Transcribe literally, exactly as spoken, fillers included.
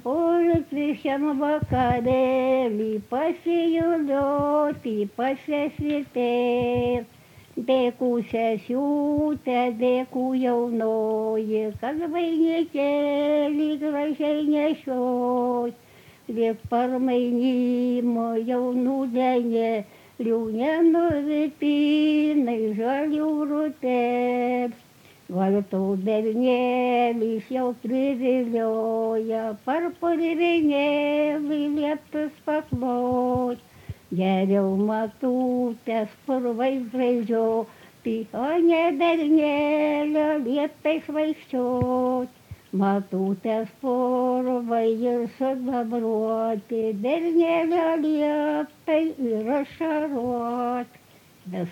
Politrišiam vakarėlį pasijudoti, pasisvitėt. Dėkų sesiūtė, dėkų jaunoji, kad vainikėlį gražiai nešioj. Liek parmainimo jaunų denė, liūnenų vipinai žalių rutės. Vartų bernėlis jau privilioja, parpurvinėlį lieptus paklot. Geriau matutės purvais graidžioti, o ne bernėlio lieptais vaikščiot. Matutės purvai ir sudabruoti, bernėlio liepai ir ašarot.